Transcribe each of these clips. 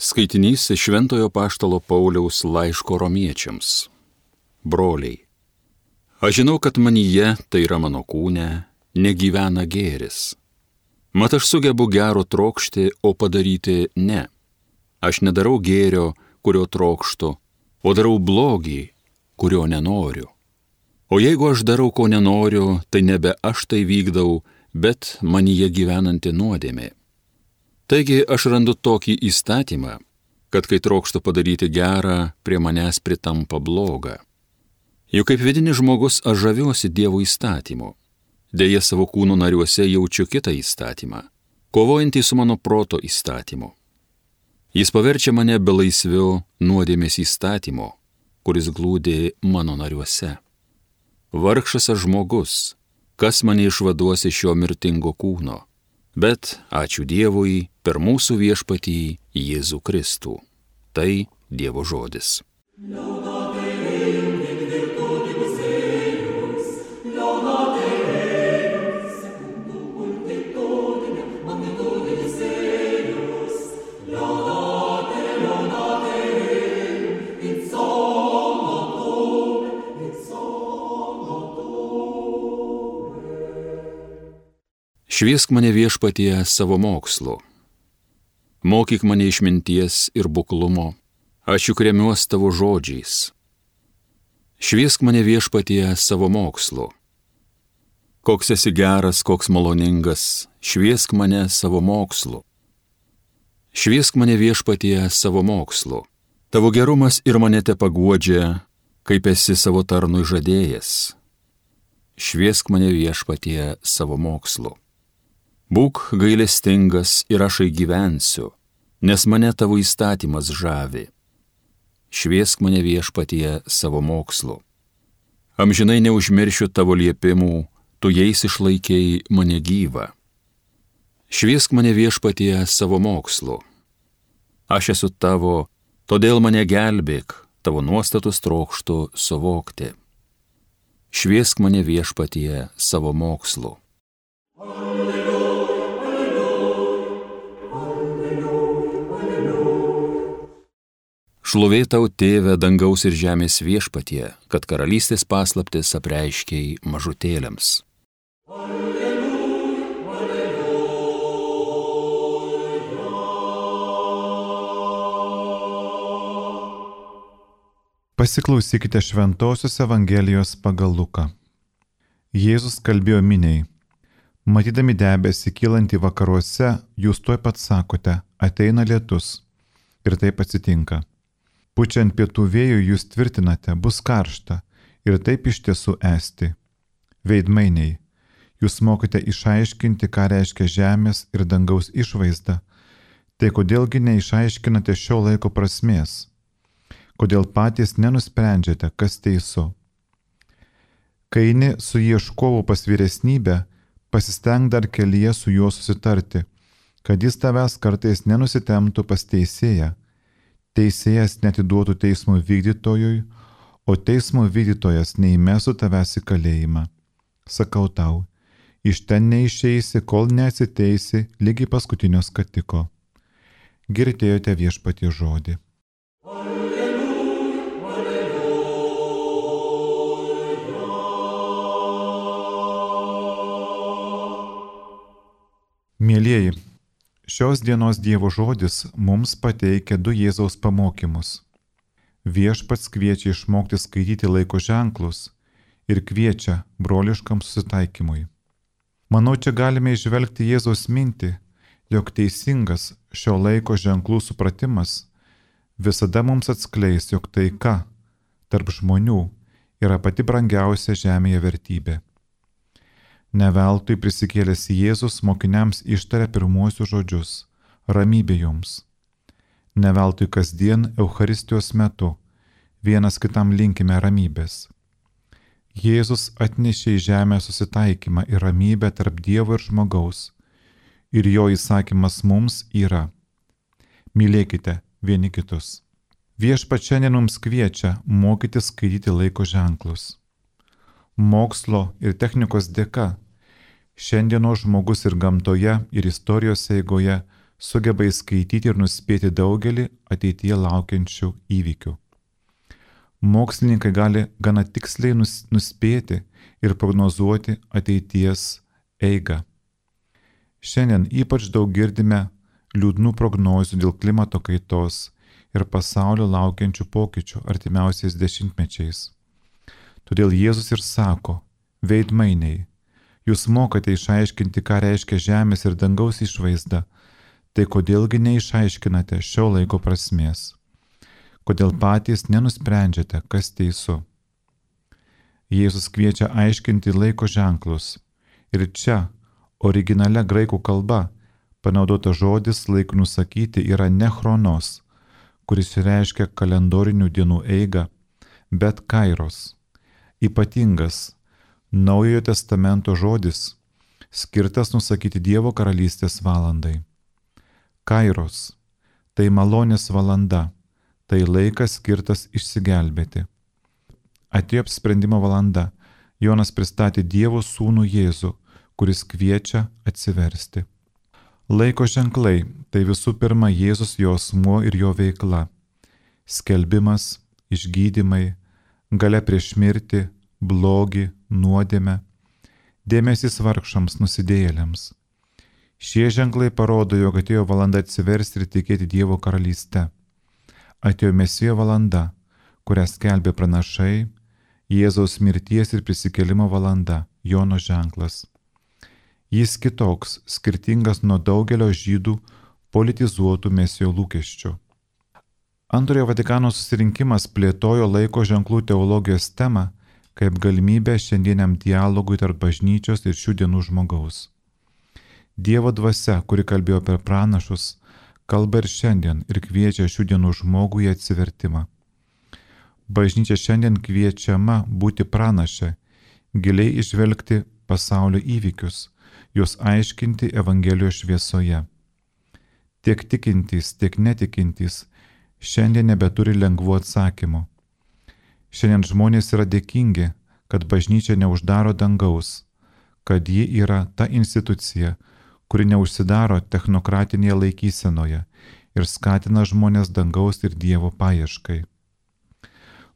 Skaitinys iš Šventojo Apaštalo Pauliaus laiško romiečiams. Broliai, aš žinau, kad manyje, tai yra mano kūne, negyvena gėris. Mat aš sugebu gero trokšti, o padaryti ne. Aš nedarau gėrio, kurio trokštu, o darau blogį, kurio nenoriu. O jeigu aš darau, ko nenoriu, tai nebe aš tai vykdau, bet manyje gyvenanti nuodėmė. Taigi aš randu tokį įstatymą, kad kai trokštu padaryti gerą, prie manęs pritampa bloga. Juk kaip vidinis žmogus aš žaviuosi Dievo įstatymu. Deja, savo kūno nariuose jaučiu kitą įstatymą, kovojantį su mano proto įstatymu. Jis paverčia mane belaisviu nuodėmės įstatymo, kuris glūdi mano nariuose. Vargšas aš žmogus, kas mane išvaduos iš šio mirtingo kūno, bet ačiū Dievui per mūsų viešpatį Jėzų Kristų. Tai Dievo žodis. Šviesk mane viešpatie savo mokslu. Mokyk mane išminties ir buklumo, aš juk remiuos tavo žodžiais. Šviesk mane viešpatie savo mokslu. Koks esi geras, koks maloningas, šviesk mane savo mokslu. Šviesk mane viešpatie savo mokslu. Tavo gerumas ir mane te paguodžia, kaip esi savo tarnui žadėjęs. Šviesk mane viešpatie savo mokslu. Būk gailestingas ir aš gyvensiu, nes mane tavo įstatymas žavi. Šviesk mane viešpatie savo mokslu. Amžinai neužmiršiu tavo liepimų, tu jais išlaikei mane gyvą. Šviesk mane viešpatie savo mokslu. Aš esu tavo, todėl mane gelbėk, tavo nuostatus trokštu suvokti. Šviesk mane viešpatie savo mokslu. Šlovė tau, Tėve, dangaus ir žemės viešpatie, kad karalystės paslaptis apreiškei mažutėliams. Pasiklausykite Šventosios Evangelijos pagal Luką. Jėzus kalbėjo miniai. Matydami debesį kylantį vakaruose, jūs tuoj pat sakote, ateina lietus. Ir taip atsitinka. Pučiant pietų vėjų jūs tvirtinate, bus karšta, ir taip iš tiesų esti. Veidmainiai, jūs mokite išaiškinti, ką reiškia žemės ir dangaus išvaizda, tai kodėlgi neišaiškinate šio laiko prasmės? Kodėl patys nenusprendžiate, kas teisu? Kai eini su ieškovu pas vyresnybę, pasisteng dar kelyje su juo susitarti, kad jis tavęs kartais nenusitemptų pas teisėją. Teisėjas neatiduotų teismo vykdytojui, o teismo vykdytojas neįmestų tavęs į kalėjimą. Sakau tau, iš ten neišeisi, kol neatsiteisi lygiai paskutinio skatiko. Girdėjote viešpatie žodį. Mielieji, šios dienos Dievo žodis mums pateikia du Jėzaus pamokymus. Viešpats kviečia išmokti skaityti laiko ženklus ir kviečia broliškam susitaikymui. Manau, čia galime įžvelgti Jėzaus mintį, jog teisingas šio laiko ženklų supratimas visada mums atskleis, jog taika tarp žmonių yra pati brangiausia žemėje vertybė. Neveltui prisikėlęs Jėzus mokiniams ištarė pirmuosius žodžius – ramybė jums. Neveltui kasdien Eucharistijos metu vienas kitam linkime ramybės. Jėzus atnešė į žemę susitaikymą ir ramybę tarp Dievo ir žmogaus, ir jo įsakymas mums yra – mylėkite vieni kitus. Viešpats šiandien mums kviečia mokyti skaityti laiko ženklus. Mokslo ir technikos dėka šiandienos žmogus ir gamtoje, ir istorijos eigoje sugeba įskaityti ir nuspėti daugelį ateityje laukiančių įvykių. Mokslininkai gali gana tiksliai nuspėti ir prognozuoti ateities eigą. Šiandien ypač daug girdime liūdnų prognozių dėl klimato kaitos ir pasaulio laukiančių pokyčių artimiausiais dešimtmečiais. Todėl Jėzus ir sako: veidmainiai, jūs mokate išaiškinti, ką reiškia žemės ir dangaus išvaizda, tai kodėlgi neišaiškinate šio laiko prasmės? Kodėl patys nenusprendžiate, kas teisu? Jėzus kviečia aiškinti laiko ženklus. Ir čia, originalia graikų kalba, panaudota žodis laikui nusakyti yra ne chronos, kuris reiškia kalendorinių dienų eigą, bet kairos. Ypatingas Naujojo testamento žodis, skirtas nusakyti Dievo karalystės valandai. Kairos – tai malonės valanda, tai laikas skirtas išsigelbėti. Atėjo apsprendimo valanda, Jonas pristatė Dievo sūnų Jėzų, kuris kviečia atsiversti. Laiko ženklai – tai visų pirma Jėzus, jo asmuo ir jo veikla. Skelbimas, išgydymai, galia prieš mirtį, blogį, nuodėmę, dėmesys vargšams, nusidėjėliams. Šie ženklai parodo, jog atėjo valanda atsiversti ir tikėti Dievo karalyste. Atėjo Mesijo valanda, kurią skelbė pranašai, Jėzaus mirties ir prisikėlimo valanda, Jono ženklas. Jis kitoks, skirtingas nuo daugelio žydų politizuotų Mesijo lūkesčių. Antrojo Vatikano susirinkimas plėtojo laiko ženklų teologijos temą kaip galimybę šiandieniam dialogui tarp bažnyčios ir šių dienų žmogaus. Dievo dvasia, kuri kalbėjo per pranašus, kalba ir šiandien ir kviečia šių dienų žmogų į atsivertimą. Bažnyčia šiandien kviečiama būti pranaše, giliai išvelgti pasaulio įvykius, juos aiškinti Evangelijos šviesoje. Tiek tikintys, tiek netikintys šiandien nebeturi lengvų atsakymų. Šiandien žmonės yra dėkingi, kad bažnyčia neuždaro dangaus, kad ji yra ta institucija, kuri neužsidaro technokratinėje laikysenoje ir skatina žmonės dangaus ir Dievo paieškai.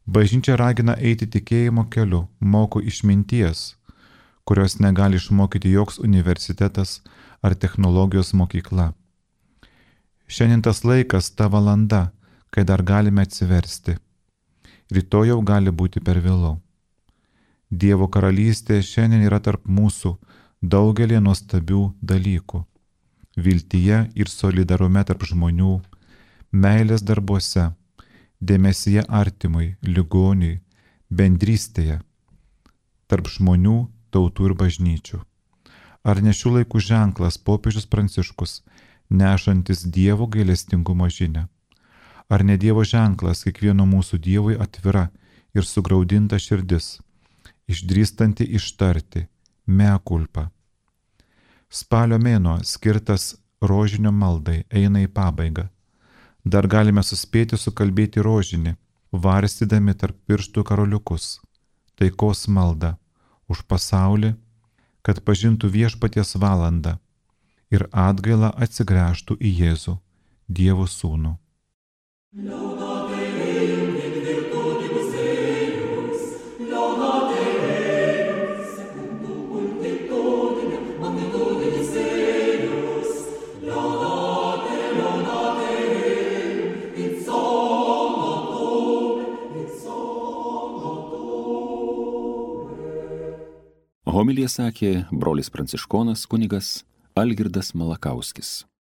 Bažnyčia ragina eiti tikėjimo keliu, moko išminties, kurios negali išmokyti joks universitetas ar technologijos mokykla. Šiandien tas laikas, ta valanda, kai dar galime atsiversti. Rytoj jau gali būti per vėlu. Dievo karalystė šiandien yra tarp mūsų daugelį nuostabių dalykų. Viltyje ir solidarume tarp žmonių, meilės darbuose, dėmesyje artimui, ligoniui, bendrystėje, tarp žmonių, tautų ir bažnyčių. Ar ne šių laikų ženklas popiežius Pranciškus, nešantis Dievo gailestingumo žinią? Ar ne Dievo ženklas kiekvieno mūsų Dievui atvira ir sugraudinta širdis, išdrįstanti ištarti mea culpa? Spalio mėnuo, skirtas rožinio maldai, eina į pabaigą. Dar galime suspėti sukalbėti rožinį, varstydami tarp pirštų karoliukus, taikos maldą už pasaulį, kad pažintų viešpaties valandą ir atgailą atsigręžtų į Jėzų, Dievo sūnų. Homiliją sakė brolis pranciškonas kunigas Algirdas Malakauskis.